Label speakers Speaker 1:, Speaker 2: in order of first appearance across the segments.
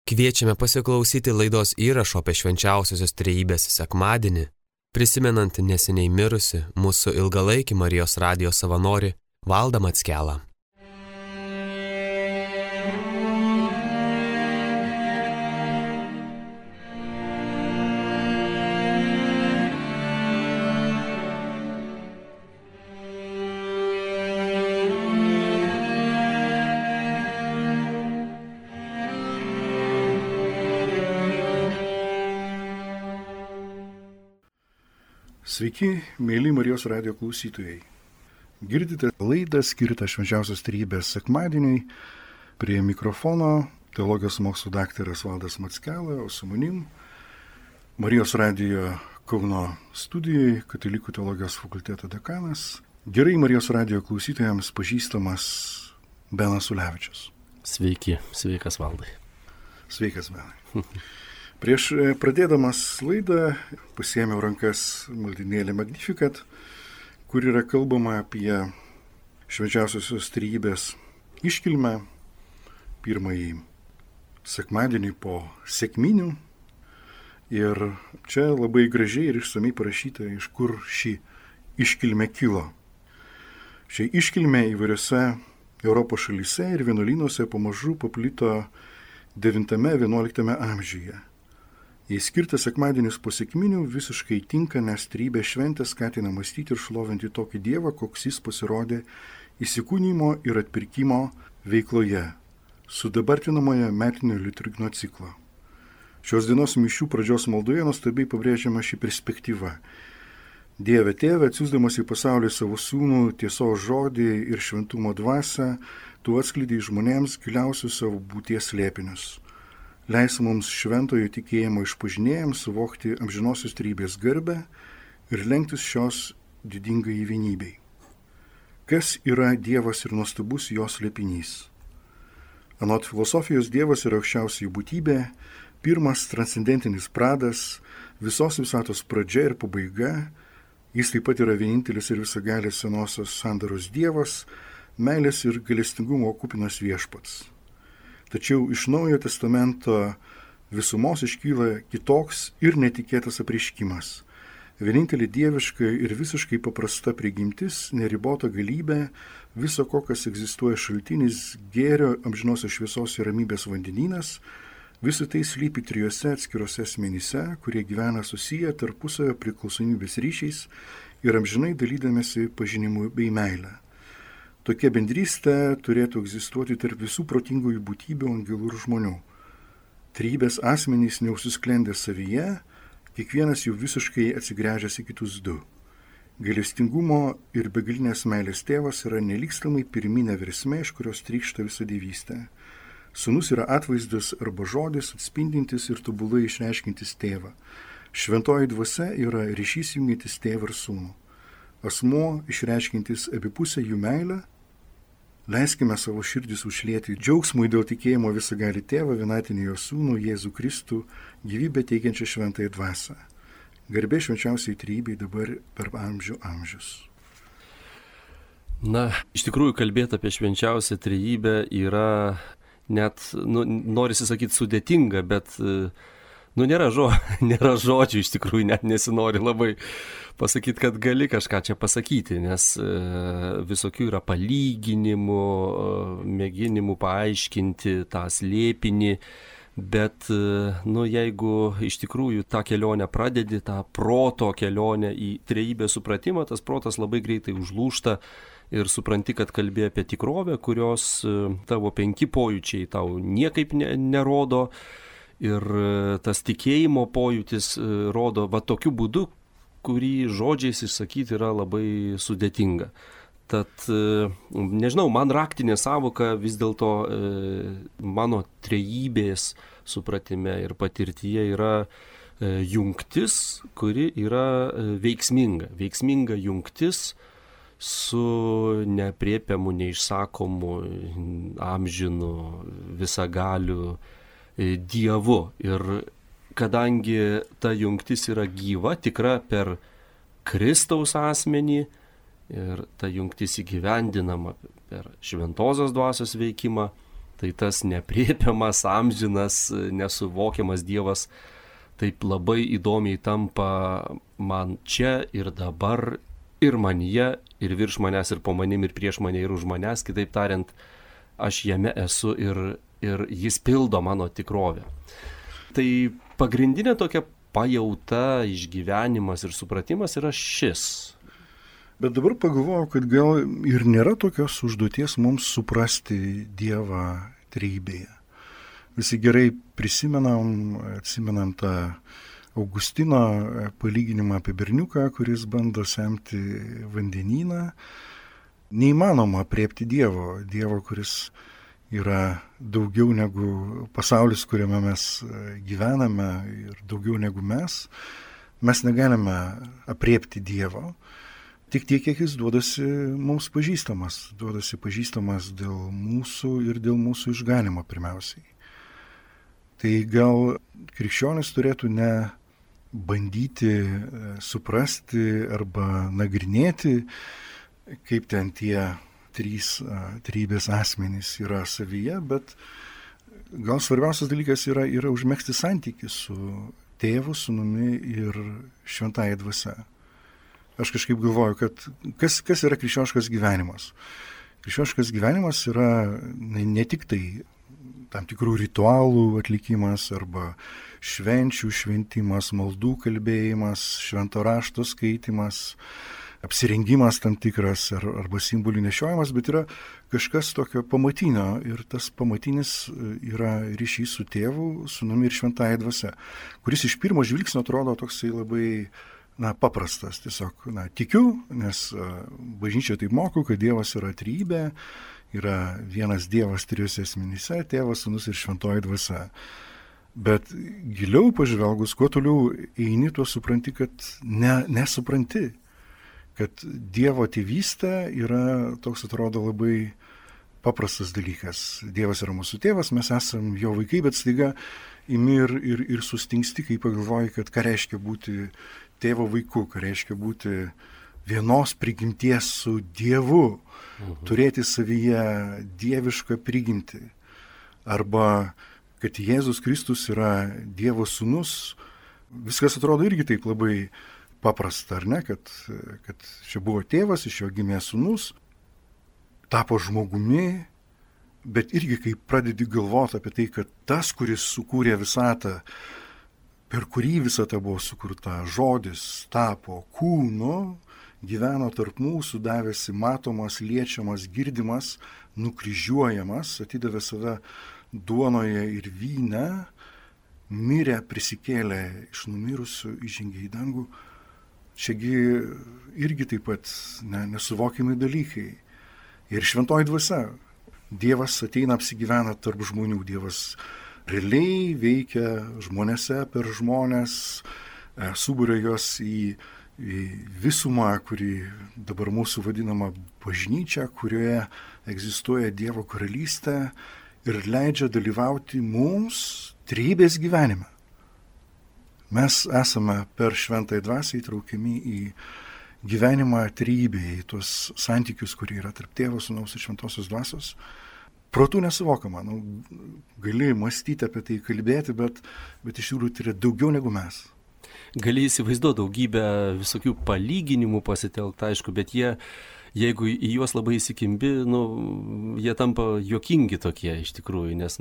Speaker 1: Kviečiame pasiklausyti laidos įrašo apie švenčiausiosios trejybės sekmadienį, prisimenant neseniai mirusi mūsų ilgalaikį Marijos radijo savanorį Valdą Mackelą.
Speaker 2: Sveiki, mėly Marijos radijo klausytojai. Girdite laidą skirtą švenčiausios trejybės sekmadieniui. Prie mikrofono teologijos mokslų daktaras Valdas Mackela, o su manim Marijos radijo Kauno studijoje Katalikų teologijos fakulteto dekanas, gerai Marijos radijo klausytojams pažįstamas Benas Ulevičius.
Speaker 3: Sveiki, sveikas Valdai.
Speaker 2: Sveikas Benai. Prieš pradėdamas laidą pasiėmiau rankas maldynėlį Magnificat, kur yra kalbama apie švenčiausiosios trejybės iškilmę, pirmąjį sekmadienį po sekminių. Ir čia labai gražiai ir išsamiai parašyta, iš kur ši iškilmė kilo. Ši iškilmė įvairiose Europos šalyse ir vienuolynuose pamažu paplito 9-11 amžiuje. Jei skirtas sekmadienis po sekminių visiškai tinka, nes trejybės šventė skatina mąstyti ir šlovinti tokį Dievą, koks jis pasirodė įsikūnijimo ir atpirkimo veikloje, sudabartinamoje metinio liturginio ciklo. Šios dienos mišių pradžios maldoje nuostabiai pabrėžiama ši perspektyva. Dieve Tėve, atsiųsdamas į pasaulį savo sūnų, tiesos žodį ir šventumo dvasią, tu atskleidei žmonėms giliausius savo būties slėpinius. Leis mums šventojo tikėjimo išpažinėjams suvokti amžinosios trejybės garbę ir lenktis šios didingai vienybei. Kas yra Dievas ir nuostabus jos slėpinys? Anot filosofijos Dievas yra aukščiausioji būtybė, pirmas transcendentinis pradas, visos visatos pradžia ir pabaiga. Jis taip pat yra vienintelis ir visagalis senosios sandaros Dievas, meilės ir gailestingumo kupinas viešpats. Tačiau iš Naujojo testamento visumos iškyla kitoks ir netikėtas apreiškimas. Vienintelė dieviška ir visiškai paprasta prigimtis, neribota galybė, viso ko, kas egzistuoja šaltinis, gėrio, amžinosios šviesos ir ramybės vandenynas, visą tai slypi trijose atskirose asmenyse, kurie gyvena susiję tarpusavio priklausomybės ryšiais ir amžinai dalydamėsi pažinimu bei meilę. Tokia bendrystė turėtų egzistuoti tarp visų protingųjų būtybių, angelų ir žmonių. Trejybės asmenys neužsisklendė savyje, kiekvienas jų visiškai atsigręžęs į kitus du. Gailestingumo ir begalinės meilės tėvas yra nelygstamai pirminė versmė, iš kurios trykšta visa dievystė. Sūnus yra atvaizdas arba žodis, atspindintis ir tobulai išreiškintis tėvą. Šventoji dvasia yra ryšys jungiantis tėvą ir sūnų. Asmuo išreiškintis abipusę jų meilę. Leiskime savo širdis užlieti džiaugsmui dėl tikėjimo visagalį tėvą, vienatinį jo sūnų, Jėzų Kristų, gyvybę teikiančią šventąją dvasią. Garbė švenčiausiai trejybei dabar per amžių amžius.
Speaker 3: Na, iš tikrųjų kalbėti apie švenčiausią trejybę yra net, norisi sakyti, sudėtinga, bet nėra žodžių, iš tikrųjų net nesinori labai pasakyti, kad gali kažką čia pasakyti, nes visokių yra palyginimų, mėginimų paaiškinti tą slėpinį, bet jeigu iš tikrųjų tą kelionę pradedi, tą proto kelionę į trejybės supratimą, tas protas labai greitai užlūžta ir supranti, kad kalbė apie tikrovę, kurios tavo 5 pojūčiai tau niekaip nerodo. Ir tas tikėjimo pojūtis rodo va tokiu būdu, kurį žodžiais išsakyti yra labai sudėtinga. Tad, nežinau, man raktinė sąvoka vis dėlto mano trejybės supratime ir patirtyje yra jungtis, kuri yra veiksminga. Veiksminga jungtis su neaprėpiamu, neišsakomu, amžinu, visagaliu Dievu. Ir kadangi ta jungtis yra gyva, tikra per Kristaus asmenį ir ta jungtis įgyvendinama per šventosios dvasios veikimą, Tai tas nepriepiamas, amžinas, nesuvokiamas Dievas taip labai įdomiai tampa man čia ir dabar, ir manyje, ir virš manęs, ir po manim, ir prieš mane, ir už manęs. Kitaip tariant, aš jame esu ir jis pildo mano tikrovę. Tai pagrindinė tokia pajauta, išgyvenimas ir supratimas yra šis.
Speaker 2: Bet dabar pagalvojau, kad gal ir nėra tokios užduoties mums suprasti Dievą trejybėje. Visi gerai atsimenam tą Augustino palyginimą apie berniuką, kuris bando semti vandenyną. Neįmanoma apriepti Dievo, kuris yra daugiau negu pasaulis, kuriame mes gyvename, ir daugiau negu mes. Mes negalime apriepti Dievo. Tik tiek, kiek jis duodasi mums pažįstamas. Duodasi pažįstamas dėl mūsų ir dėl mūsų išganimo pirmiausiai. Tai gal krikščionis turėtų ne bandyti suprasti arba nagrinėti, kaip ten tie trejybės asmenys yra savyje, bet gal svarbiausias dalykas yra užmegzti santykį su Tėvu, Sūnumi ir Šventąja Dvasia. Aš kažkaip galvoju, kad kas yra krikščioniškas gyvenimas. Krikščioniškas gyvenimas yra ne tik tai tam tikrų ritualų atlikimas arba švenčių šventimas, maldų kalbėjimas, švento rašto skaitimas, apsirengimas tam tikras arba simbolių nešiojimas, bet yra kažkas tokio pamatinio ir tas pamatinis yra ryšys su Tėvu, Sūnumi ir Šventąja Dvasia, kuris iš pirmo žvilgsnio atrodo toksai labai paprastas. Tiesiog tikiu, nes bažnyčia taip moko, kad Dievas yra trejybė, yra vienas Dievas trijose asmenyse, Tėvas, Sūnus ir Šventoji Dvasia. Bet giliau pažvelgus, kuo toliau eini, tuo supranti, kad nesupranti, kad Dievo tėvystė yra toks, atrodo, labai paprastas dalykas. Dievas yra mūsų tėvas, mes esam jo vaikai, bet staiga imi ir sustingsti, kai pagalvoji, kad ką reiškia būti tėvo vaiku, ką reiškia būti vienos prigimties su Dievu, turėti savyje dievišką prigimtį. Arba, kad Jėzus Kristus yra Dievo sūnus, viskas atrodo irgi taip labai paprasta, ar ne? Kad čia buvo tėvas, iš jo gimė sūnus, tapo žmogumi, bet irgi kai pradedi galvoti apie tai, kad tas, kuris sukūrė visatą, per kurį visata buvo sukurta, žodis tapo kūnu, gyveno tarp mūsų, davėsi matomas, liečiamas, girdimas, nukryžiuojamas, atidavė save duonoje ir vyne, mirė, prisikėlė iš numirusių, įžengė į dangų. Čiagi irgi taip pat nesuvokiami dalykai. Ir Šventoji Dvasia. Dievas ateina, apsigyvena tarp žmonių. Dievas realiai veikia žmonėse, per žmonės, suburia juos į visumą, kuri dabar mūsų vadinama bažnyčia, kurioje egzistuoja Dievo karalystė ir leidžia dalyvauti mums trejybės gyvenime. Mes esame per Šventąją Dvasią įtraukiami į gyvenimą trejybėje, į tuos santykius, kurie yra tarp Tėvo, Sūnaus ir Šventosios Dvasios. Protų nesuvokama. Gali mąstyti apie tai, kalbėti, bet iš tikrųjų tai yra daugiau negu mes.
Speaker 3: Gali įsivaizduoti daugybę visokių palyginimų pasitelkta, aišku, bet jeigu į juos labai įsikimbi, jie tampa juokingi tokie iš tikrųjų, nes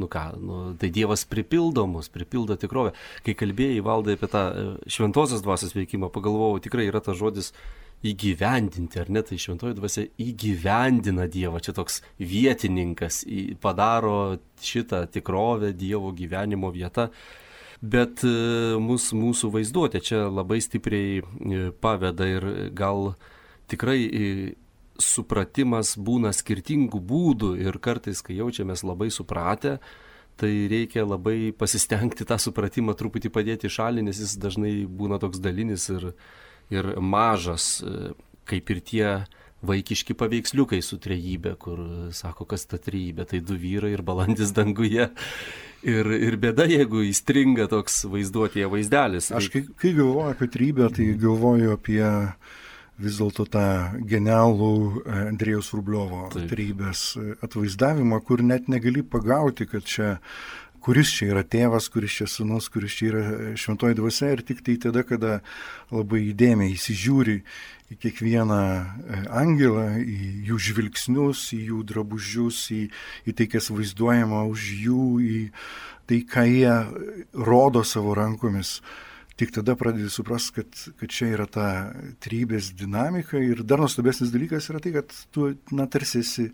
Speaker 3: tai Dievas pripildo mus, pripildo tikrovę. Kai kalbėjai, Valdai, apie tą Šventosios Dvasios veikimą, pagalvojau, tikrai yra tas žodis įgyvendinti, ar ne, tai Šventoji Dvasia įgyvendina Dievą, čia toks vietininkas, padaro šitą tikrovę Dievo gyvenimo vietą, bet mūsų vaizduotė čia labai stipriai paveda ir gal tikrai supratimas būna skirtingų būdų ir kartais, kai jaučiamės labai supratę, tai reikia labai pasistengti tą supratimą truputį padėti į šalį, nes jis dažnai būna toks dalinis ir mažas, kaip ir tie vaikiški paveiksliukai su trejybė, kur sako, kas ta trejybė, tai 2 vyrai ir balandis danguje. Ir bėda, jeigu įstringa toks vaizduotėje vaizdelis.
Speaker 2: Aš kai galvoju apie trejybę, tai galvoju apie vis dėlto tą genialų Andrėjaus Rubliovo trejybės atvaizdavimą, kur net negali pagauti, kad čia kuris čia yra tėvas, kuris čia sūnus, kuris čia yra šventoji dvasia, ir tik tai tada, kada labai įdėmiai įsižiūri į kiekvieną angelą, į jų žvilgsnius, į jų drabužius, į tai, kas vaizduojama už jų, į tai, ką jie rodo savo rankomis. Tik tada pradedi suprasti, kad čia yra ta trejybės dinamika, ir dar nuostabesnis dalykas yra tai, kad tu tarsi esi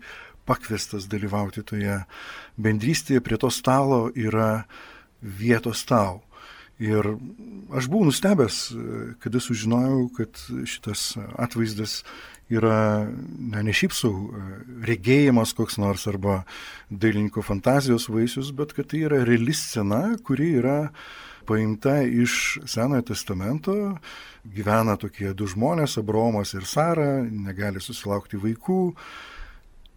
Speaker 2: pakviestas dalyvauti toje bendrystėje, prie to stalo yra vietos tau. Ir aš buvau nustebęs, kada sužinojau, kad šitas atvaizdas yra ne šiaip sau regėjimas koks nors arba dailininko fantazijos vaisius, bet kad tai yra reali scena, kuri yra paimta iš Senojo testamento. Gyvena tokie du žmonės, Abraomas ir Sara, negali susilaukti vaikų.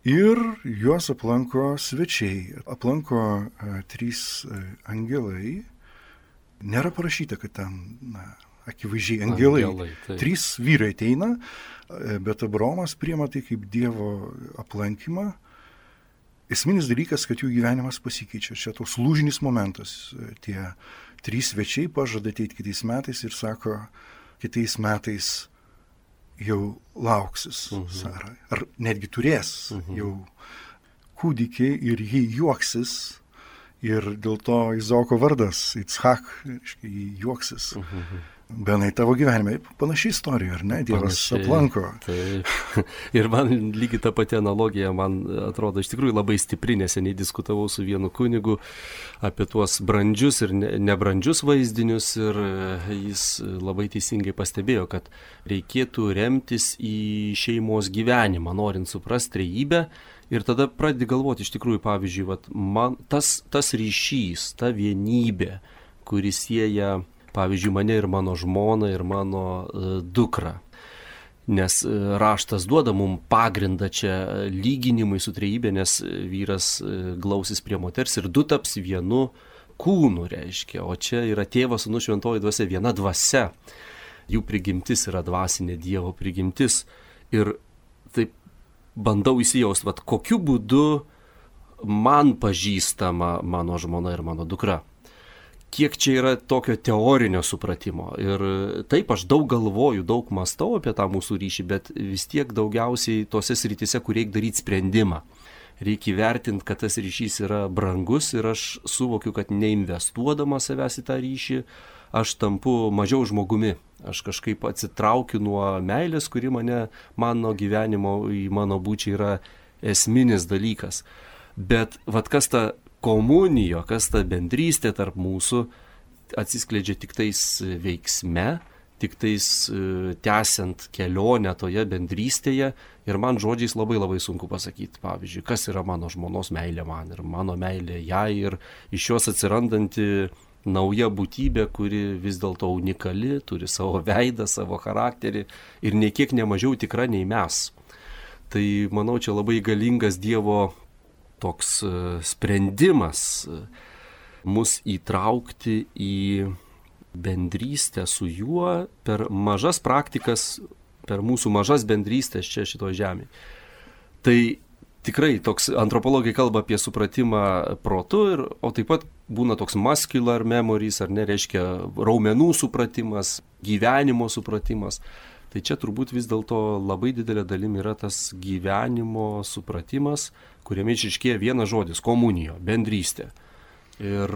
Speaker 2: Ir juos aplanko svečiai, aplanko 3 angelai. Nėra parašyta, kad ten, akivaizdžiai angelai. 3 vyrai ateina, bet Abraomas priima tai kaip Dievo aplankymą. Esminis dalykas, kad jų gyvenimas pasikeičia. Čia toks lūžinis momentas. Tie 3 svečiai pažada ateiti kitais metais ir sako, kitais metais jau lauksis Sara, ar netgi turės jau kūdikį ir jį juoksis, ir dėl to Izaoko vardas Itzhak, reiškia, jį juoksis. Benai, tavo gyvenime panaši istorija, ar ne? Dievas aplanko.
Speaker 3: Taip. Ir man lygiai ta pati analogija, man atrodo, iš tikrųjų labai stipri, neseniai diskutavau su vienu kunigu apie tuos brandžius ir nebrandžius vaizdinius, ir jis labai teisingai pastebėjo, kad reikėtų remtis į šeimos gyvenimą, norint suprasti trejybę, ir tada pradedi galvoti, iš tikrųjų, pavyzdžiui, man tas ryšys, ta vienybė, kuris sieja, pavyzdžiui, mane ir mano žmoną ir mano dukrą. Nes raštas duoda mums pagrindą čia lyginimui su trejybė, nes vyras glausis prie moters ir du taps vienu kūnu, reiškia. O čia yra Tėvas, Sūnus, Šventoji Dvasia, viena dvasia. Jų prigimtis yra dvasinė Dievo prigimtis. Ir taip bandau įsijausti, kokiu būdu man pažįstama mano žmona ir mano dukra. Kiek čia yra tokio teorinio supratimo. Ir taip, aš daug galvoju, daug mąstau apie tą mūsų ryšį, bet vis tiek daugiausiai tose srityse, kur reikia daryti sprendimą. Reikia įvertinti, kad tas ryšys yra brangus, ir aš suvokiu, kad neinvestuodamas savęs į tą ryšį, aš tampu mažiau žmogumi. Aš kažkaip atsitraukiu nuo meilės, kuri mano gyvenimo, į mano būčią yra esminis dalykas. Bet kas ta komunijo, kas ta bendrystė tarp mūsų, atsiskleidžia tik tais veiksme, tik tais tęsiant kelionę toje bendrystėje, ir man žodžiais labai labai sunku pasakyti, pavyzdžiui, kas yra mano žmonos meilė man ir mano meilė jai, ir iš jos atsirandanti nauja būtybė, kuri vis dėlto unikali, turi savo veidą, savo charakterį ir nei kiek nemažiau tikra nei mes. Tai manau, čia labai galingas Dievo toks sprendimas mus įtraukti į bendrystę su juo per mažas praktikas, per mūsų mažas bendrystės čia šitoje žemėje. Tai tikrai toks antropologai kalba apie supratimą protu, o taip pat būna toks muscular memories, ar ne, reiškia raumenų supratimas, gyvenimo supratimas. Tai čia turbūt vis dėlto labai didelė dalim yra tas gyvenimo supratimas, kuriame išryškėja vienas žodis – komunijo, bendrystė. Ir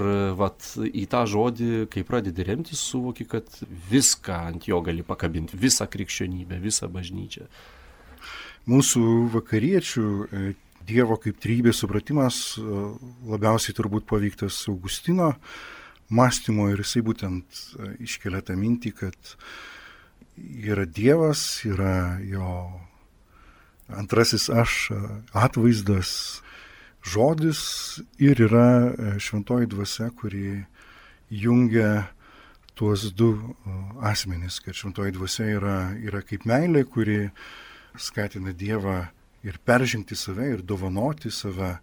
Speaker 3: į tą žodį, kai pradedi remtis, suvoki, kad viską ant jo gali pakabinti, visą krikščionybę, visą bažnyčią.
Speaker 2: Mūsų vakariečių Dievo kaip trejybės supratimas labiausiai turbūt paveiktas Augustino mąstymo, ir jisai būtent iškelia tą mintį, kad yra Dievas, yra jo antrasis aš atvaizdas, žodis, ir yra šventoji dvasia, kuri jungia tuos du asmenis, kad šventoji dvasia yra kaip meilė, kuri skatina Dievą ir peržengti save, ir dovanoti save.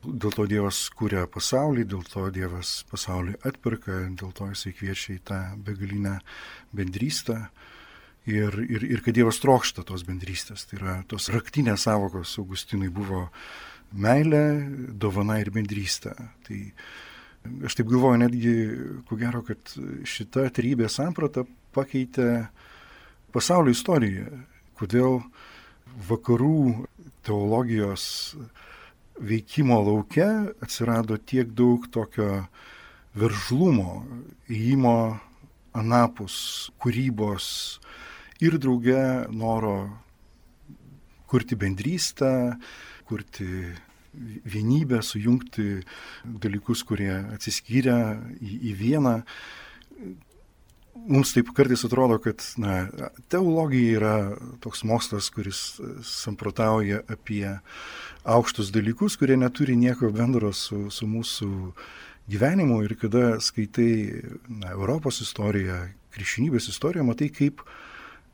Speaker 2: Dėl to Dievas kuria pasaulį, dėl to Dievas pasaulį atperka, dėl to jisai kviečia į tą begalinę bendrystę. ir kad Dievas trokšta tos bendrystės. Tai yra tos raktinės savokos Augustinui buvo meilė, dovana ir bendrystė. Tai aš taip galvoju netgi, ko gero, kad šita trejybės samprata pakeitė pasaulio istoriją. Kodėl vakarų teologijos veikimo lauke atsirado tiek daug tokio veržlumo, ėjimo anapus, kūrybos ir drauge noro kurti bendrystę, kurti vienybę, sujungti dalykus, kurie atsiskyrę į vieną. Mums taip kartais atrodo, kad teologija yra toks mokslas, kuris samprotauja apie aukštus dalykus, kurie neturi nieko bendro su mūsų gyvenimu. Ir kada skaitai Europos istoriją, krikščionybės istoriją, matai, kaip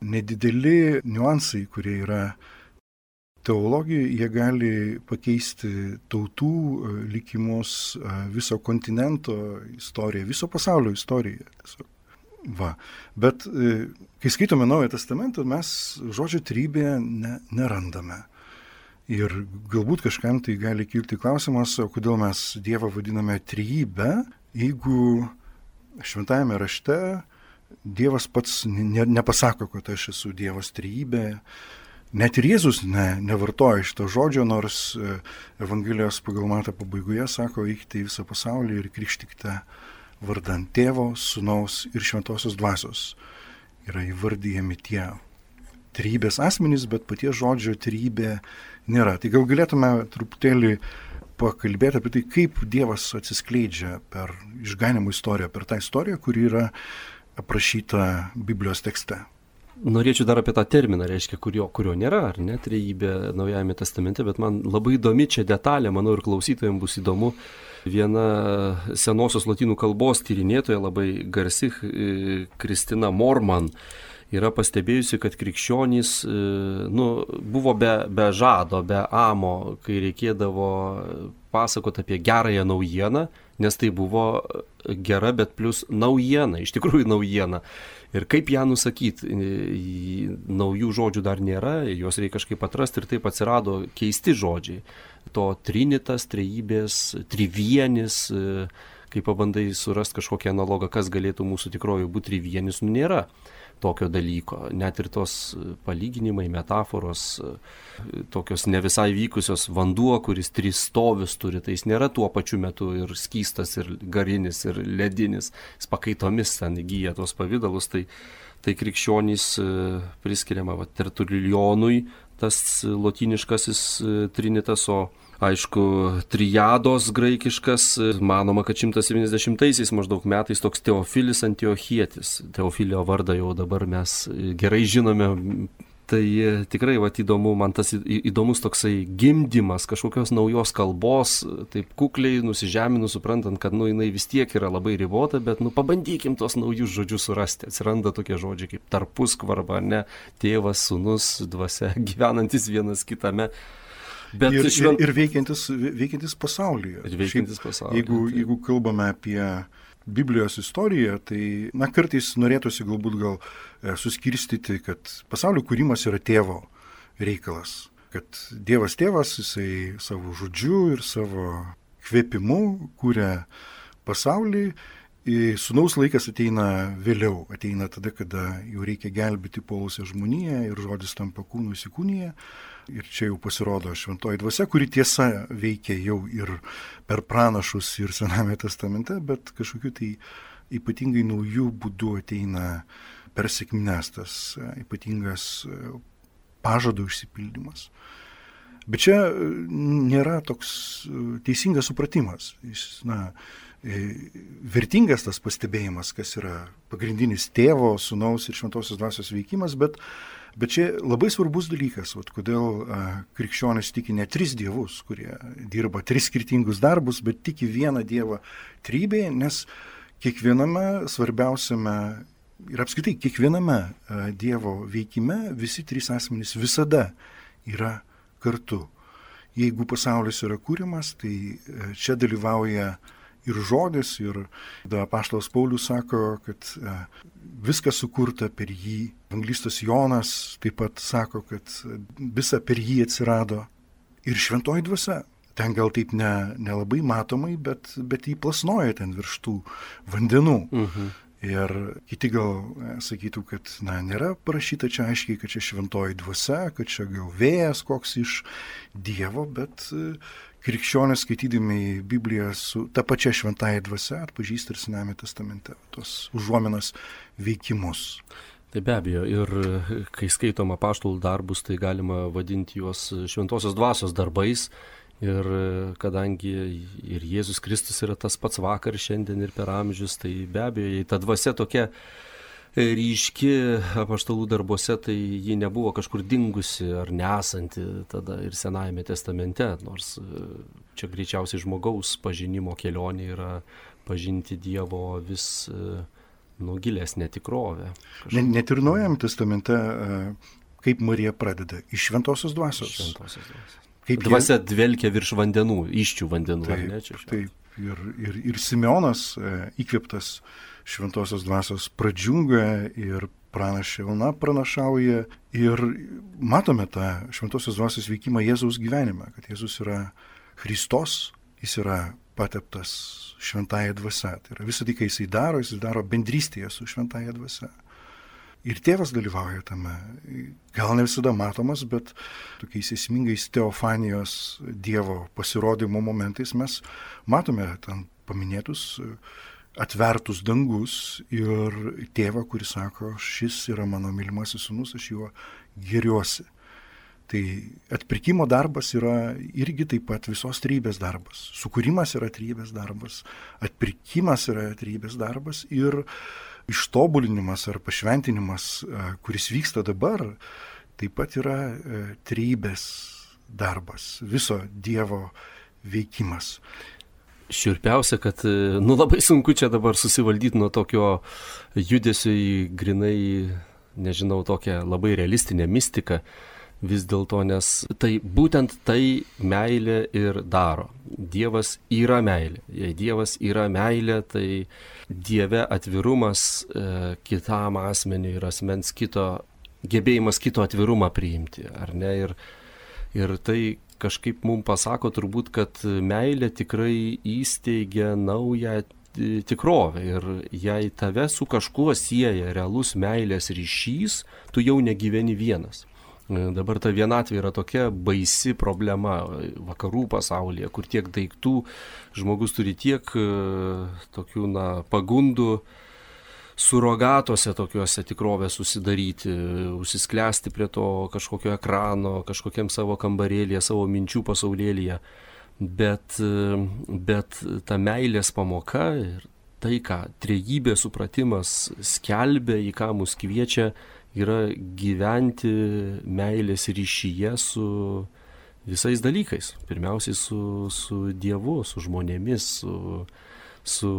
Speaker 2: nedideli niuansai, kurie yra teologijoje, jie gali pakeisti tautų likimus, viso kontinento istoriją, viso pasaulio istoriją. Va. Bet kai skaitome Naują Testamentą, mes žodžio trejybė nerandame. Ir galbūt kažkam tai gali kilti klausimas, o kodėl mes Dievą vadiname trejybę, jeigu šventajame rašte Dievas pats nepasako, kad aš esu Dievas trejybė. Net ir Jėzus nevartoja šito žodžio, nors Evangelijos pagal Matą pabaigoje sako, eikite į visą pasaulį ir krikštykite vardan Tėvo, Sūnaus ir Šventosios Dvasios. Yra įvardyjami tie trejybės asmenys, bet paties žodžio trejybė nėra. Tai gal galėtume truputėlį pakalbėti apie tai, kaip Dievas atsiskleidžia per išganimo istoriją, per tą istoriją, kuri yra aprašyta Biblijos tekste.
Speaker 3: Norėčiau dar apie tą terminą, reiškia, kurio nėra, ar ne, trejybė Naujajame testamente, bet man labai įdomi čia detalė, manau ir klausytojams bus įdomu. Viena senosios lotynų kalbos tyrinėtoja, labai garsi, Kristina Morman, yra pastebėjusi, kad krikščionys buvo be žado, be amo, kai reikėdavo pasakoti apie gerąją naujieną, nes tai buvo gera, bet plus naujiena, iš tikrųjų naujiena. Ir kaip ją nusakyti, naujų žodžių dar nėra, juos reikia kažkaip atrasti ir taip atsirado keisti žodžiai. To trinitas, trejybės, trivienis, kai pabandai surasti kažkokią analogą, kas galėtų mūsų tikroji būti trivienis, nėra tokio dalyko. Net ir tos palyginimai, metaforos, tokios ne visai vykusios, vanduo, kuris 3 stovius turi, tai jis nėra tuo pačiu metu ir skystas, ir garinis, ir ledinis, jis pakaitomis ten įgyja tos pavydalus, tai krikščionys priskiriama tertulionui, tas lotyniškasis trinitas, o aišku, triados graikiškas, manoma, kad 170-aisiais maždaug metais toks Teofilis Antiochietis. Teofilio vardą jau dabar mes gerai žinome. Tai tikrai įdomu, man tas įdomus toksai gimdymas kažkokios naujos kalbos, taip kukliai nusižeminus, suprantant, kad jinai vis tiek yra labai ribota, bet pabandykim tos naujus žodžius surasti. Atsiranda tokie žodžiai kaip tarpuskvarba, ne, tėvas, sūnus, dvasia, gyvenantis vienas kitame. Bet
Speaker 2: ir veikiantis pasaulyje. Jeigu kalbame apie Biblijos istoriją, tai kartais norėtųsi galbūt suskirstyti, kad pasaulio kūrimas yra tėvo reikalas. Kad Dievas tėvas, jisai savo žodžiu ir savo kvėpimu kūrė pasaulį. Sūnaus laikas ateina vėliau, ateina tada, kada jau reikia gelbėti puolusią žmoniją ir žodis tampa kūnu įsikūnyje. Ir čia jau pasirodo šventoji dvasia, kuri tiesa veikia jau ir per pranašus ir Sename testamente, bet kažkokiu tai ypatingai naujų būdų ateina per sekmines tas ypatingas pažado išsipildymas. Bet čia nėra toks teisingas supratimas. Vertingas tas pastebėjimas, kas yra pagrindinis tėvo, sūnaus ir šventosios dvasios veikimas, bet čia labai svarbus dalykas, kodėl krikščionys tiki ne 3 dievus, kurie dirba 3 skirtingus darbus, bet tiki vieną dievą trejybėje, nes kiekviename svarbiausiame ir apskritai kiekviename dievo veikime visi 3 asmenys visada yra kartu. Jeigu pasaulis yra kūrimas, tai čia dalyvauja ir žodis, ir apaštalas Paulius sako, kad viskas sukurta per jį. Evangelistas Jonas taip pat sako, kad visa per jį atsirado. Ir šventoji dvasia. Ten gal taip nelabai matomai, bet jį plasnoja ten virš tų vandenų. Ir kiti gal sakytų, kad nėra parašyta čia aiškiai, kad čia šventoji dvasia, kad čia gal vėjas koks iš Dievo, bet krikščionys skaitydami Bibliją su ta pačia šventąja dvasia atpažįsta ir Senajame testamente tos užuominos veikimus.
Speaker 3: Tai be abejo, ir kai skaitom apaštalų darbus, tai galima vadinti juos šventosios dvasios darbais. Ir kadangi ir Jėzus Kristus yra tas pats vakar, šiandien ir per amžius, tai be abejo, jei ta dvasia tokia ryški apaštalų darbuose, tai ji nebuvo kažkur dingusi ar nesanti tada ir Senajame testamente, nors čia greičiausiai žmogaus pažinimo kelionė yra pažinti Dievo vis gilesnę tikrovę.
Speaker 2: Net ir Naujajame testamente, kaip Marija pradeda, iš šventosios dvasios.
Speaker 3: Šventosios dvasios. Dvasia dvelkia virš vandenų, iščių vandenų.
Speaker 2: Taip. Ir Simeonas įkvėptas šventosios dvasios pradžiunga ir pranašė Ona pranašauja. Ir matome tą šventosios dvasios veikimą Jėzaus gyvenime, kad Jėzus yra Kristos, jis yra pateptas šventąja dvasia. Tai yra visą tai, ką jis daro bendrystėje su šventąja dvasia. Ir tėvas dalyvauja tame, gal ne visada matomas, bet tokiais esmingais teofanijos Dievo pasirodymo momentais mes matome ten paminėtus atvertus dangus ir tėvą, kuris sako, šis yra mano mylimasis sūnus, aš juo gėriuosi. Tai atpirkimo darbas yra irgi taip pat visos trejybės darbas. Sukūrimas yra trejybės darbas, atpirkimas yra trejybės darbas ir ištobulinimas ar pašventinimas, kuris vyksta dabar, taip pat yra trejybės darbas, viso Dievo veikimas.
Speaker 3: Šiurpiausia, kad labai sunku čia dabar susivaldyti nuo tokio judesio į grinai, nežinau, tokią labai realistinę mistiką. Vis dėlto, nes tai būtent tai meilė ir daro. Dievas yra meilė. Jei Dievas yra meilė, tai Dieve atvirumas kitam asmeniui ir asmens kito, gebėjimas kito atvirumą priimti, ar ne? Ir tai kažkaip mums pasako turbūt, kad meilė tikrai įsteigia naują tikrovę ir jei tave su kažkuo sieja realus meilės ryšys, tu jau negyveni vienas. Dabar ta vienatvė yra tokia baisi problema vakarų pasaulyje, kur tiek daiktų, žmogus turi tiek tokių pagundų surogatuose tokiuose tikrovės susidaryti, užsisklęsti prie to kažkokio ekrano, kažkokiam savo kambarėlyje, savo minčių pasaulėlyje. Bet ta meilės pamoka ir tai, ką trejybės supratimas skelbia, į ką mus kviečia, yra gyventi meilės ryšyje su visais dalykais. Pirmiausiai su Dievu, su žmonėmis, su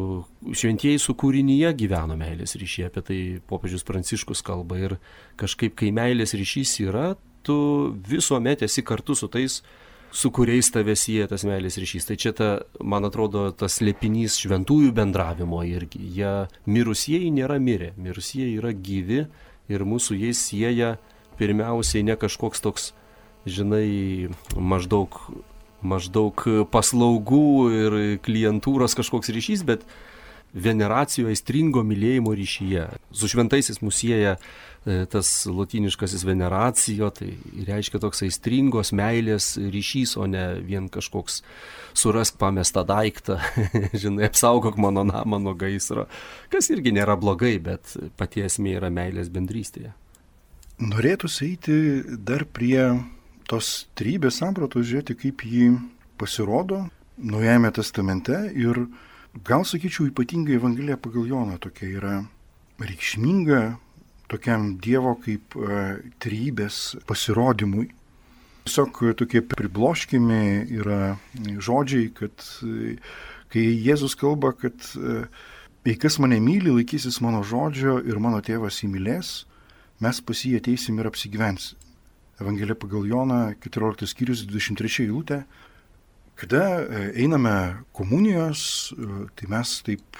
Speaker 3: šventieji su kūrinyje gyveno meilės ryšyje. Apie tai popiežius Pranciškus kalba. Ir kažkaip, kai meilės ryšys yra, tu visuomet esi kartu su tais, su kuriais tave sieja tas meilės ryšys. Tai čia, man atrodo, tas slėpinys šventųjų bendravimo irgi. Jie mirusieji nėra mirę, mirusieji yra gyvi. Ir mūsų jais sieja pirmiausiai ne kažkoks toks, žinai, maždaug paslaugų ir klientūros kažkoks ryšys, bet veneracijoje aistringo mylėjimo ryšyje. Su šventaisiais mūsų sieja tas lotyniškasis veneracijo, tai reiškia toks aistringos meilės ryšys, o ne vien kažkoks surask pamestą daiktą, žinai, apsaugok mano namą nuo gaisro, kas irgi nėra blogai, bet pati esmė yra meilės bendrystėje.
Speaker 2: Norėtųsi eiti dar prie tos trejybės sampratos, žiūrėti, kaip ji pasirodo Naujajame testamente ir gal sakyčiau ypatingai Evangelija pagal Joną tokia yra reikšminga tokiam Dievo kaip trejybės pasirodymui. Tiesiog tokie pribloškimi yra žodžiai, kad kai Jėzus kalba, kad jei kas mane myli, laikysis mano žodžio ir mano tėvas jį mylės, mes pas jį ateisim ir apsigyvensim. Evangelija pagal Joną, 14 skyrius, 23 eilutė. Kada einame komunijos, tai mes taip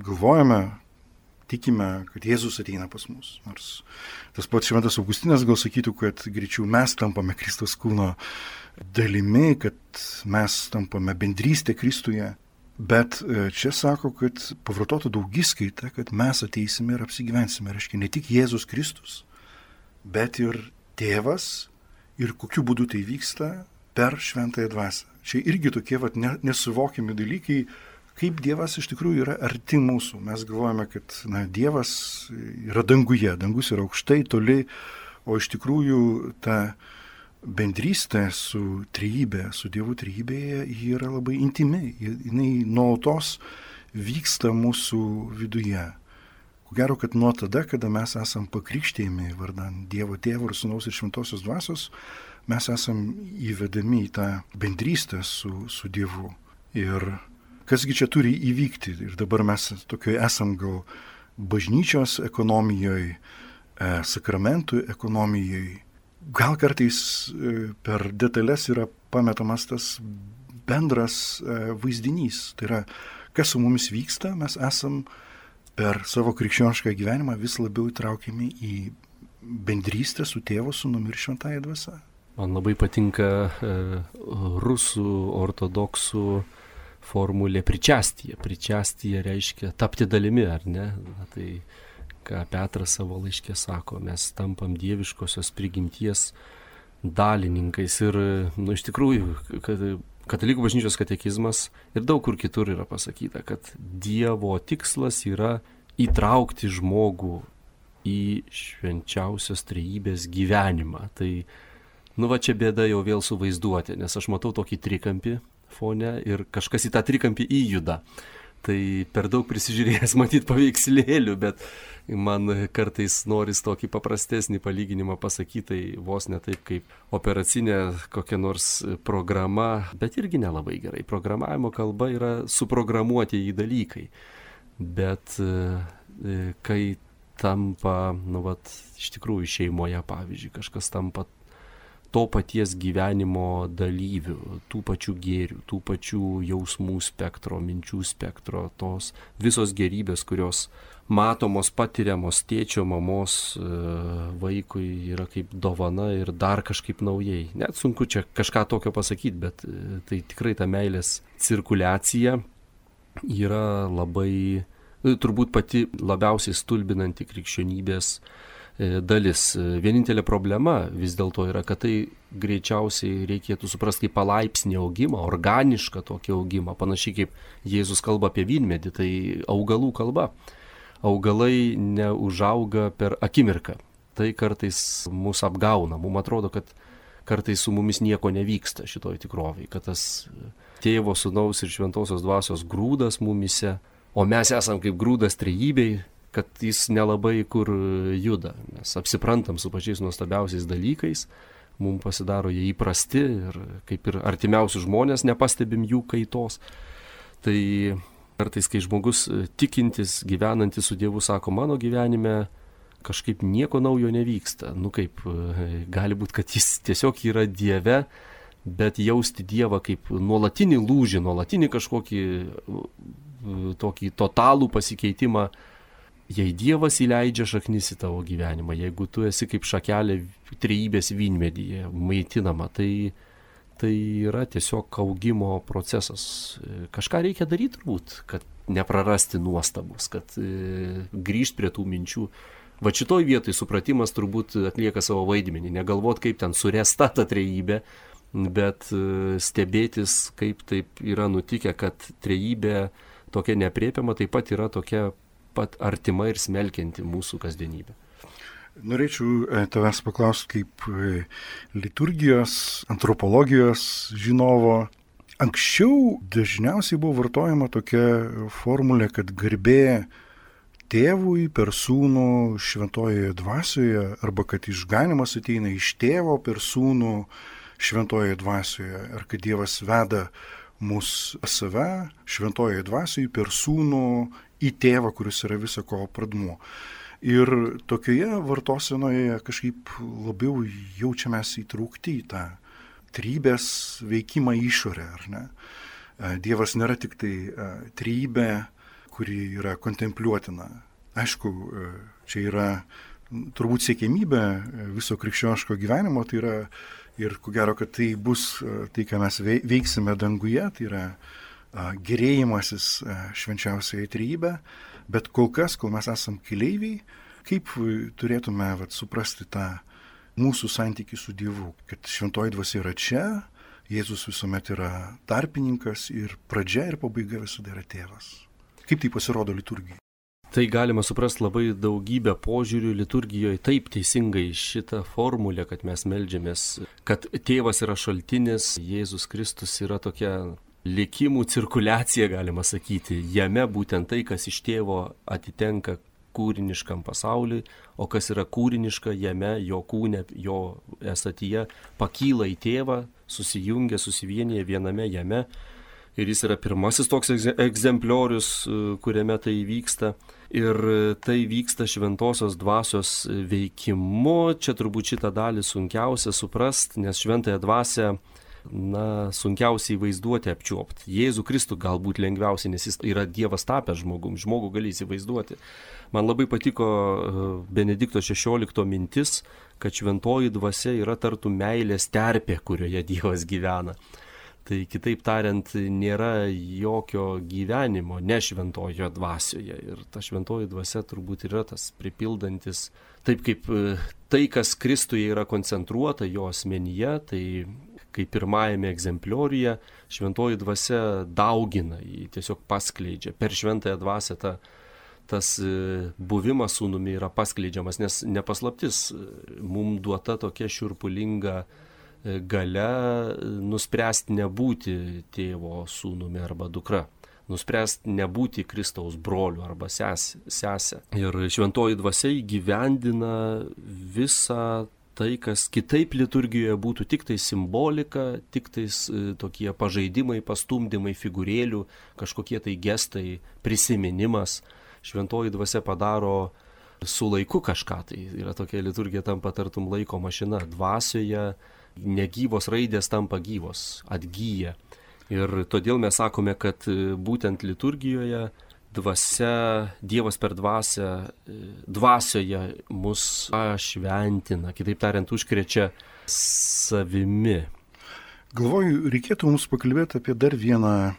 Speaker 2: galvojame, tikime, kad Jėzus ateina pas mus. Nors tas pats Šventas Augustinas gal sakytų, kad greičiau mes tampame Kristaus kūno dalimi, kad mes tampame bendrystė Kristuje. Bet čia sako, kad pavartotų daugiskaita, kad mes ateisime ir apsigyvensime. Reiškia, ne tik Jėzus Kristus, bet ir Tėvas. Ir kokiu būdu tai vyksta? Per Šventąją Dvasią. Čia irgi tokie nesuvokiami dalykai, kaip Dievas iš tikrųjų yra arti mūsų. Mes galvojame, kad Dievas yra danguje, dangus yra aukštai, toli, o iš tikrųjų ta bendrystė su trejybė, su Dievu trejybėje, ji yra labai intimi, jinai nuolatos vyksta mūsų viduje. Ko gero, kad nuo tada, kada mes esam pakrikštėjami vardan Dievo Tėvo ir Sūnaus ir Šventosios Dvasios, mes esam įvedami į tą bendrystę su Dievu. Ir kasgi čia turi įvykti? Ir dabar mes tokioje esam gal bažnyčios ekonomijoje, sakramentų ekonomijoje. Gal kartais per detalės yra pametamas tas bendras vaizdinys. Tai yra, kas su mumis vyksta, mes esam per savo krikščionišką gyvenimą vis labiau įtraukiami į bendrystę su Tėvu, Sūnumi ir Šventąja Dvasia.
Speaker 3: Man labai patinka rusų ortodoksų formulė pričastija. Pričastija reiškia tapti dalimi, ar ne? Tai ką Petras savo laiške sako, mes tampam dieviškosios prigimties dalininkais. Ir, iš tikrųjų, Katalikų bažnyčios katekizmas ir daug kur kitur yra pasakyta, kad Dievo tikslas yra įtraukti žmogų į švenčiausios trejybės gyvenimą. Tai, čia bėda jau vėl su vaizduotė, nes aš matau tokį trikampį fone ir kažkas į tą trikampį įjuda. Tai per daug prisižiūrėjęs matyti paveikslėlių, bet man kartais noris tokį paprastesnį palyginimą pasakyti, tai vos ne taip kaip operacinė kokia nors programa, bet irgi nelabai gerai. Programavimo kalba yra suprogramuoti į dalykai, bet kai tampa, iš tikrųjų šeimoje, pavyzdžiui, kažkas tampa to paties gyvenimo dalyvių, tų pačių gėrių, tų pačių jausmų spektro, minčių spektro, tos visos gerybės, kurios matomos, patiriamos tėčio, mamos vaikui yra kaip dovana ir dar kažkaip naujai. Net sunku čia kažką tokio pasakyti, bet tai tikrai ta meilės cirkuliacija yra labai, turbūt pati labiausiai stulbinanti krikščionybės dalis. Vienintelė problema vis dėlto yra, kad tai greičiausiai reikėtų suprasti kaip palaipsnį augimą, organišką tokį augimą, panašiai kaip Jėzus kalba apie vynmedį, tai augalų kalba. Augalai neužauga per akimirką. Tai kartais mus apgauna. Mums atrodo, kad kartais su mumis nieko nevyksta šitoj tikrovėj, kad tas Tėvo, Sūnaus ir Šventosios Dvasios grūdas mumise, o mes esam kaip grūdas trejybei, kad jis nelabai kur juda. Mes apsiprantam su pačiais nuostabiausiais dalykais, mums pasidaro jie įprasti ir kaip ir artimiausi žmonės nepastebim jų kaitos. Tai kartais, kai žmogus tikintis, gyvenantis su Dievu, sako, mano gyvenime kažkaip nieko naujo nevyksta. Gali būti, kad jis tiesiog yra Dieve, bet jausti Dievą kaip nuolatinį lūžį, nuolatinį kažkokį tokį totalų pasikeitimą. Jei Dievas įleidžia šaknis į tavo gyvenimą, jeigu tu esi kaip šakelė trejybės vynmedyje maitinama, tai yra tiesiog augimo procesas. Kažką reikia daryti turbūt, kad neprarasti nuostabus, kad grįžti prie tų minčių. Va šitoj vietoj supratimas turbūt atlieka savo vaidmenį. Negalvot, kaip ten suresta ta trejybė, bet stebėtis, kaip taip yra nutikę, kad trejybė tokia neaprėpiama taip pat yra tokia pat artima ir smelkianti mūsų kasdienybę.
Speaker 2: Norėčiau tavęs paklausti kaip liturgijos, antropologijos žinovo. Anksčiau dažniausiai buvo vartojama tokia formulė, kad garbė Tėvui per Sūnų Šventojoje Dvasioje, arba kad išganymas ateina iš Tėvo per Sūnų Šventojoje Dvasioje, ar kad Dievas veda mus save Šventojoje Dvasioje per Sūnų į Tėvą, kuris yra visako pradmuo. Ir tokioje vartosenoje kažkaip labiau jaučiamės įtraukti į tą trejybės veikimą išorę, ar ne? Dievas nėra tik tai trejybė, kuri yra kontempliuotina. Aišku, čia yra turbūt siekiamybė viso krikščioniško gyvenimo, tai yra ir ko gero, kad tai bus tai, ką mes veiksime danguje, tai yra gerėjimasis švenčiausiai trejybė, bet kol kas, kol mes esam keleiviai, kaip turėtume suprasti tą mūsų santykį su Dievu, kad šventoji dvasia yra čia, Jėzus visuomet yra tarpininkas ir pradžia ir pabaiga visada yra tėvas. Kaip tai pasirodo liturgijai?
Speaker 3: Tai galima suprasti labai daugybę požiūrių liturgijoje, taip teisingai šitą formulę, kad mes meldžiamės, kad tėvas yra šaltinis, Jėzus Kristus yra tokia likimų cirkuliacija, galima sakyti. Jame būtent tai, kas iš tėvo atitenka kūriniškam pasauliui, o kas yra kūriniška, jame, jo kūne, jo esatyje pakyla į tėvą, susijungia, susivienyje viename jame. Ir jis yra pirmasis toks egzempliorius, kuriame tai vyksta. Ir tai vyksta šventosios dvasios veikimu. Čia turbūt šitą dalį sunkiausia suprasti, nes šventąją dvasią sunkiausiai vaizduoti, apčiuopti. Jėzų Kristų galbūt lengviausiai, nes jis yra Dievas tapęs žmogum. Žmogų gali įsivaizduoti. Man labai patiko Benedikto XVI mintis, kad šventoji dvasia yra tartum meilės terpė, kurioje Dievas gyvena. Tai kitaip tariant, nėra jokio gyvenimo ne šventojo dvasioje. Ir ta šventoji dvasia turbūt yra tas pripildantis, taip kaip tai, kas Kristuje yra koncentruota jo asmenyje, tai kaip pirmajame egzemplioriuje šventoji dvasia daugina, jį tiesiog paskleidžia. Per šventąją dvasią tas buvimas sūnumi yra paskleidžiamas, nes nepaslaptis, mums duota tokia šiurpulinga galia nuspręsti nebūti tėvo sūnumi arba dukra, nuspręsti nebūti Kristaus broliu arba sesė. Ir šventoji dvasia įgyvendina visą tai, kas kitaip liturgijoje būtų tik tai simbolika, tik tai tokie pažaidimai, pastumdymai figūrėlių, kažkokie tai gestai, prisiminimas. Šventoji dvasia padaro su laiku kažką, tai yra tokia liturgija tampa tartum laiko mašina. Dvasioje negyvos raidės tampa gyvos, atgyja. Ir todėl mes sakome, kad būtent liturgijoje dvasia, Dievas per dvasią, dvasioje mus šventina, kitaip tariant, užkrečia savimi.
Speaker 2: Galvoju, reikėtų mums pakalbėti apie dar vieną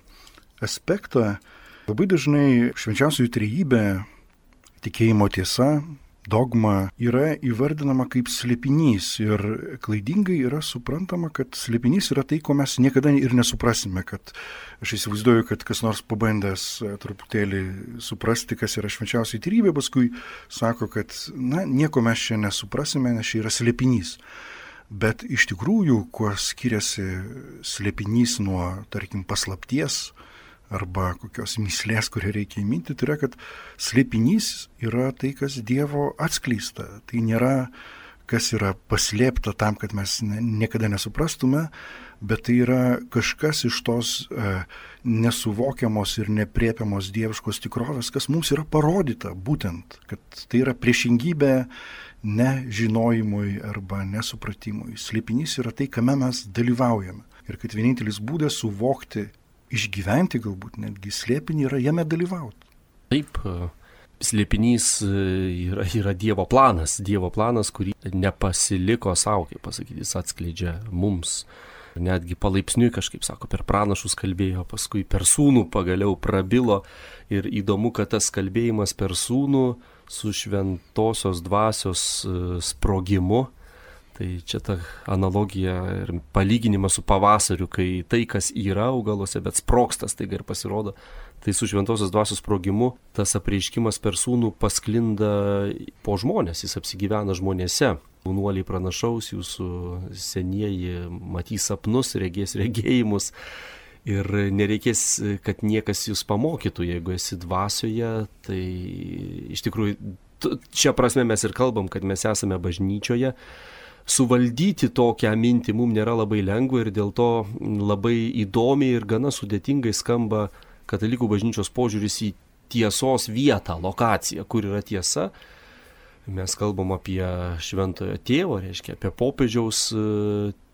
Speaker 2: aspektą. Labai dažnai švenčiausioji trejybė, tikėjimo tiesa, dogma yra įvardinama kaip slėpinys ir klaidingai yra suprantama, kad slėpinys yra tai, ko mes niekada ir nesuprasime, kad aš įsivaizduoju, kad kas nors pabandęs truputėlį suprasti, kas yra švenčiausiai trejybė, paskui sako, kad nieko mes čia nesuprasime, nes čia yra slėpinys. Bet iš tikrųjų, kuo skiriasi slėpinys nuo, tarkim, paslapties, arba kokios myslės, kurią reikia įminti, tai yra, kad slėpinys yra tai, kas Dievo atskleista. Tai nėra, kas yra paslėpta tam, kad mes niekada nesuprastume, bet tai yra kažkas iš tos nesuvokiamos ir nepriepiamos dieviškos tikrovės, kas mums yra parodyta būtent, kad tai yra priešingybė nežinojimui arba nesupratimui. Slėpinys yra tai, kame mes dalyvaujame. Ir kad vienintelis būdas suvokti, išgyventi galbūt netgi slėpinį yra jame dalyvauti.
Speaker 3: Taip, slėpinys yra Dievo planas, kurį nepasiliko savo, kaip pasakyti, jis atskleidžia mums. Netgi palaipsniui kažkaip, sako, per pranašus kalbėjo, paskui per sūnų pagaliau prabilo. Ir įdomu, kad tas kalbėjimas per sūnų su šventosios dvasios sprogimu, tai čia ta analogija ir palyginimas su pavasariu, kai tai, kas yra augaluose, bet sprogstas taiga ir pasirodo, tai su šventosios dvasios sprogimu tas apreiškimas per sūnų pasklinda po žmonės, jis apsigyvena žmonėse. Jaunuoliai pranašaus, jūsų senieji matys sapnus, regės regėjimus ir nereikės, kad niekas jūs pamokytų, jeigu esi dvasioje, tai iš tikrųjų čia prasme mes ir kalbam, kad mes esame bažnyčioje. Suvaldyti tokią mintį mums nėra labai lengva ir dėl to labai įdomiai ir gana sudėtingai skamba katalikų bažnyčios požiūris į tiesos vietą, lokaciją, kur yra tiesa. Mes kalbam apie šventojo tėvo, reiškia apie popiežiaus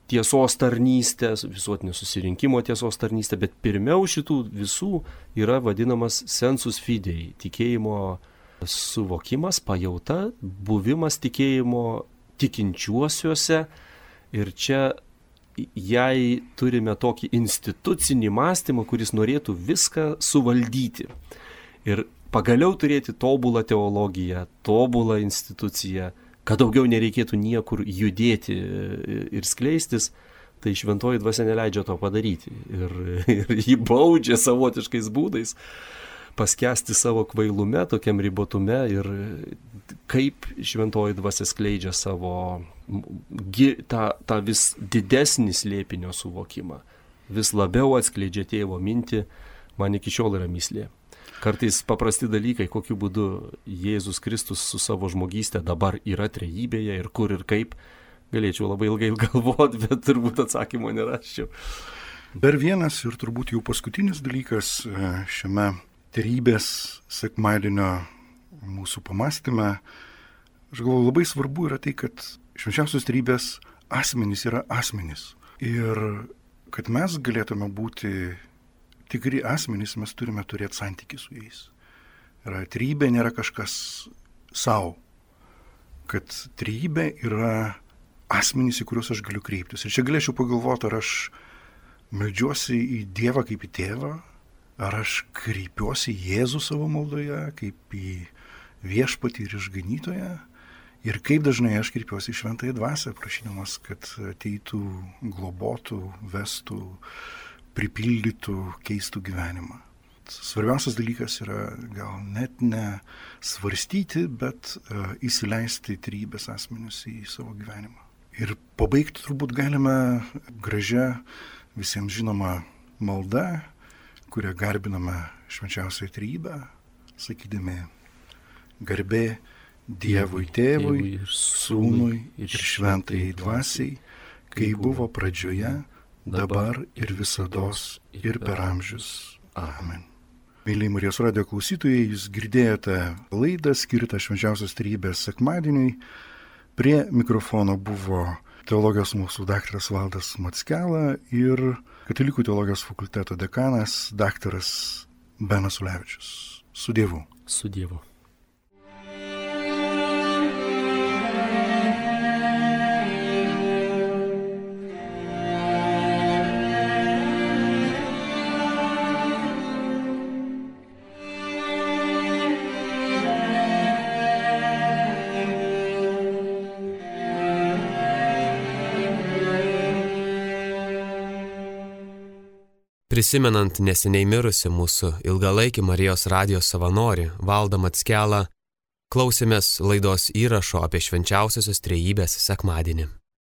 Speaker 3: tiesos tarnystę, visuotinio susirinkimo tiesos tarnystę, bet pirmiau šitų visų yra vadinamas sensus fidei, tikėjimo suvokimas, pajauta, buvimas tikėjimo tikinčiuosiuose. Ir čia jei turime tokį institucinį mąstymą, kuris norėtų viską suvaldyti. Ir pagaliau turėti tobulą teologiją, tobulą instituciją, kad daugiau nereikėtų niekur judėti ir skleistis, tai šventoji dvasia neleidžia to padaryti. Ir jį baudžia savotiškais būdais paskęsti savo kvailume, tokiam ribotume, ir kaip šventoji dvasia skleidžia savo tą vis didesnį slėpinio suvokimą, vis labiau atskleidžia tėvo mintį, man iki šiol yra mįslė. Kartais paprasti dalykai, kokiu būdu Jėzus Kristus su savo žmogystė dabar yra trejybėje ir kur ir kaip, galėčiau labai ilgai galvoti, bet turbūt atsakymo nerasčiau.
Speaker 2: Dar vienas ir turbūt jau paskutinis dalykas šiame trejybės sekmadienio mūsų pamąstyme, aš galvoju, labai svarbu yra tai, kad švenčiausios trejybės asmenys yra asmenys. Ir kad mes galėtume būti tikri asmenys, mes turime turėti santykį su jais. Trejybė nėra kažkas savo, kad trejybė yra asmenys, į kuriuos aš galiu kreiptis. Ir čia galėčiau pagalvoti, ar aš meldžiuosi į Dievą kaip į tėvą, ar aš kreipiuosi į Jėzų savo maldoje, kaip į viešpatį ir išganytoją, ir kaip dažnai aš kreipiuosi į šventąją dvasią, prašydamas, kad ateitų, globotų, vestų, pripildytų, keistų gyvenimą. Svarbiausias dalykas yra gal net ne svarstyti, bet įsileisti trejybės asmenius į savo gyvenimą. Ir pabaigti turbūt galime gražia, visiems žinoma malda, kurią garbiname švenčiausią trejybę, sakydami garbė Dievui Tėvui, Sūnui ir šventajai dvasiai, kai buvo pradžioje, dabar ir visados ir per amžius. Amen. Mėlyje Marijos radijo klausytojai, jūs girdėjote laidą skirtą švenčiausios trejybės sekmadieniui. Prie mikrofono buvo teologijos mokslų daktaras Valdas Mackela ir Katalikų teologijos fakulteto dekanas daktaras Benas Ulevičius. Su Dievu.
Speaker 3: Su Dievu.
Speaker 1: Prisimenant neseniai mirusi mūsų ilgalaikį Marijos radijos savanorį Valdą Mackelą, klausėmės laidos įrašo apie švenčiausiosios trejybės sekmadienį.